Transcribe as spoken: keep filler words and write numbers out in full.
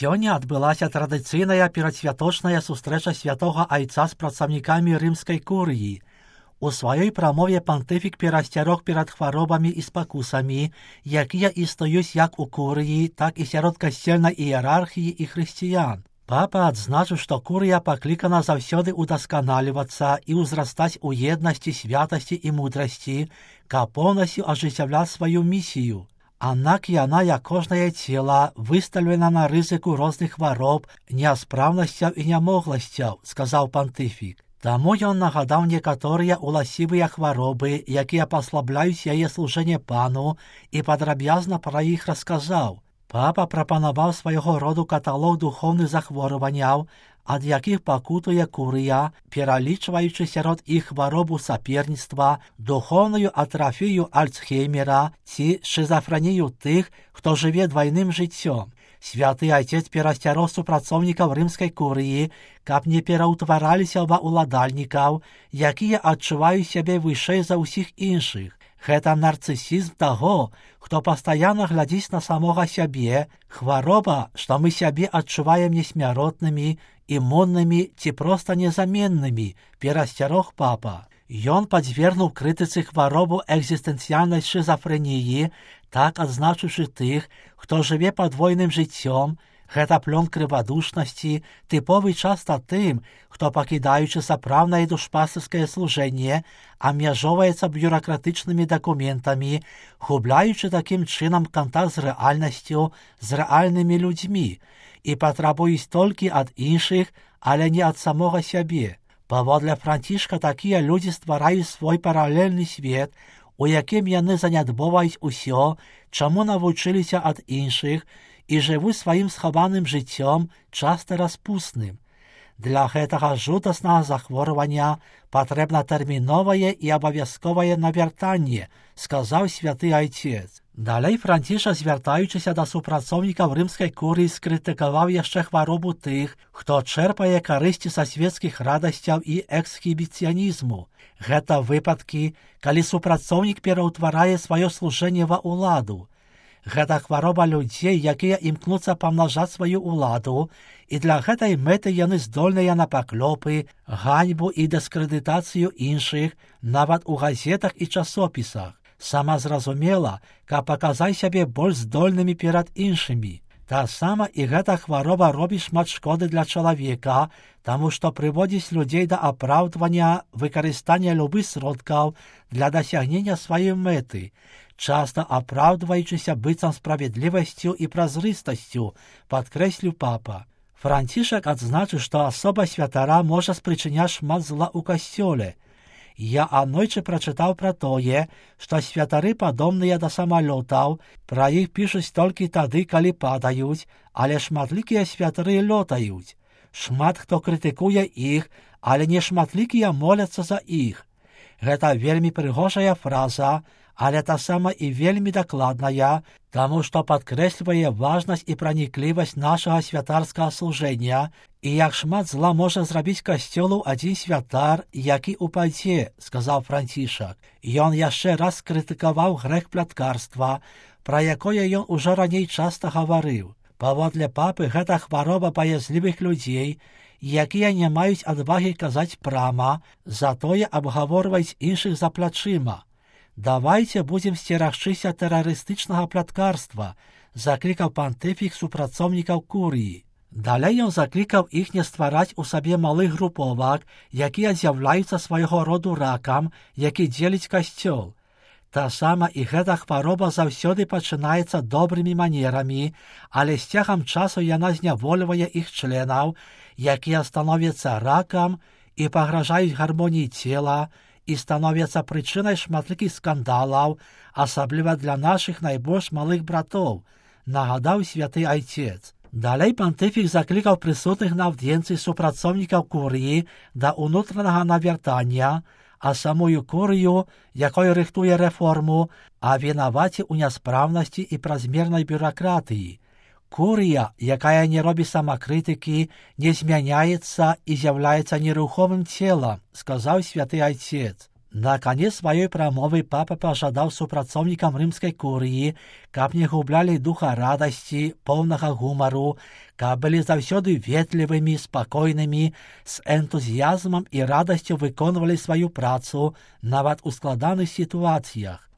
Сёння адбылася традыцыйная перадсвяточная сустрэча святога айца з працаўнікамі рымскай курыі. У сваёй прамове пантыфік перасцярог перад хваробамі і спакусамі, якія існуюць як у курыі, так і сярод касцельнай іерархіі і хрысціян. Папа адзначыў, што курыя паклікана заўсёды удасканалівацца і ўзрастаць у еднасці, святасці і мудрасці, каб поўнасцю ажыццяўляць сваю місію. Аднак яна, як кожнае цела, выстаўлена на рызыку розных хвароб, няспраўнасцяў і нямогласцяў, сказаў пантыфік. Таму ён нагадаў некаторыя уласцівыя хваробы, якія паслабляюць яе служэнне пану, і падрабязна пра іх расказаў. Папа прапанаваў свайго роду каталог духоўных захворванняў, ад якіх пакутуе курыя, пералічваючы сярод іх хваробу саперніцтва, духоўную атрафію Альцхеймера ці шызафрэнію тых, хто жыве двайным жыццём. Святы айцец перасцярог супрацоўнікаў рымскай курыі, каб не пераўтвараліся ва ўладальнікаў, якія адчуваюць сябе вышэй за ўсіх іншых. Гэта нарцысізм таго, хто пастаянна глядзіць на самога сябе, хвароба, што мы сябе адчуваем несмяротнымі, імуннымі ці проста незаменнымі, перасцярог папа. Ён падзвергнуў крытыцы хваробу экзістэнцыяльнай шызафрэніі, так адзначыўшы тых, хто жыве падвойным жыццём. Гэта плён крывадушнасці, тыповы часта тым, хто, пакідаючы сапраўднае душпастырскае служэнне, абмяжоўваецца бюракратычнымі дакументамі, губляючы такім чынам кантакт з рэальнасцю, з рэальнымі людзьмі, і патрабуюць толькі ад іншых, але не ад самога сябе. Паводле Францішка такія людзі ствараюць свой паралельны свет, у якім яны занядбоваюць усё, чаму навучыліся ад іншых, і жывуць сваім схаваным жыццём, часта распусным. Для гэтага жудаснага захворвання патрэбна тэрміновае і абавязковае навяртанне, сказаў святы айцец. Далей Францішак, звяртаючыся да супрацоўнікаў рымскай курыі, скрытыкаваў яшчэ хваробу тых, хто чэрпае карысці са свецкіх радасцяў і эксхібіцыянізму. Гэта выпадкі, калі супрацоўнік пераўтварае сваё служэнне ва ўладу. Гэта хвароба людзей, якія імкнуцца памнажаць сваю ўладу, і для гэтай мэты яны здольныя на паклёпы, ганьбу і дыскрэдытацыю іншых, нават у газетах і часопісах. Сама зразумела, каб паказаць сябе больш здольнымі перад іншымі. Таксама і гэта хвароба робіць шмат шкоды для чалавека, таму што прыводзіць людзей да апраўдвання выкарыстання любых сродкаў для дасягнення сваёй мэты, часта апраўдваючыся быццам справядлівасцю і празрыстасцю, падкрэсліў папа. Францішак адзначыў, што асоба святара можа спрычыняць шмат зла ў касцёле. Я аднойчы прачытаў пра тое, што святары падобныя да самалётаў, пра іх пішуць толькі тады, калі падаюць, але шматлікія святары лётаюць. Шмат хто крытыкуе іх, але не шматлікія моляцца за іх. Гэта вельмі прыгожая фраза, але таксама і вельмі дакладная, таму што падкрэслівае важнасць і праніклівасць нашага святарскага служэння, і як шмат зла можа зрабіць касцёлу адзін святар, які упадзе, сказаў Францішак. Ён яшчэ раз крытыкаваў грэх пляткарства, пра якое ён ужо раней часта гаварыў. Паводле папы, гэта хвароба баязлівых людзей, якія не маюць адвагі казаць прама, затое абгаворваюць іншых за плячыма. «Давайце будзем сцерагчыся тэрарыстычнага пляткарства», заклікаў пантыфік супрацоўнікаў курыі. Далей ён заклікаў іх не ствараць у сабе малых груповак, якія з'яўляюцца свайго роду ракам, які дзеліць касцёл. Таксама і гэта хвароба заўсёды пачынаецца добрымі манерамі, але з цягам часу яна знявольвае іх членаў, якія становяцца ракам і пагражаюць гармоніі цела, і становяцца прычынай шматлікіх скандалаў, асабліва для нашых найбольш малых братоў, нагадаў святы айцец. Далей пантыфік заклікаў прысутных на аўдыенцыі супрацоўнікаў курыі да ўнутранага навяртання, а самую курыю, якой рыхтуе рэформу, абвінаваціў у няспраўнасці і празмернай бюракратыі. Курыя, якая не робіць самакрытыкі, не змяняецца і з'яўляецца нерухомым целам, сказаў святы айцец. На канец сваёй прамовы папа пажадаў супрацоўнікам рымскай курыі, каб не гублялі духа радасці, поўнага гумару, каб былі заўсёды ветлівымі, спакойнымі, з энтузіязмам і радасцю выконвалі сваю працу, нават у складаных сітуацыях.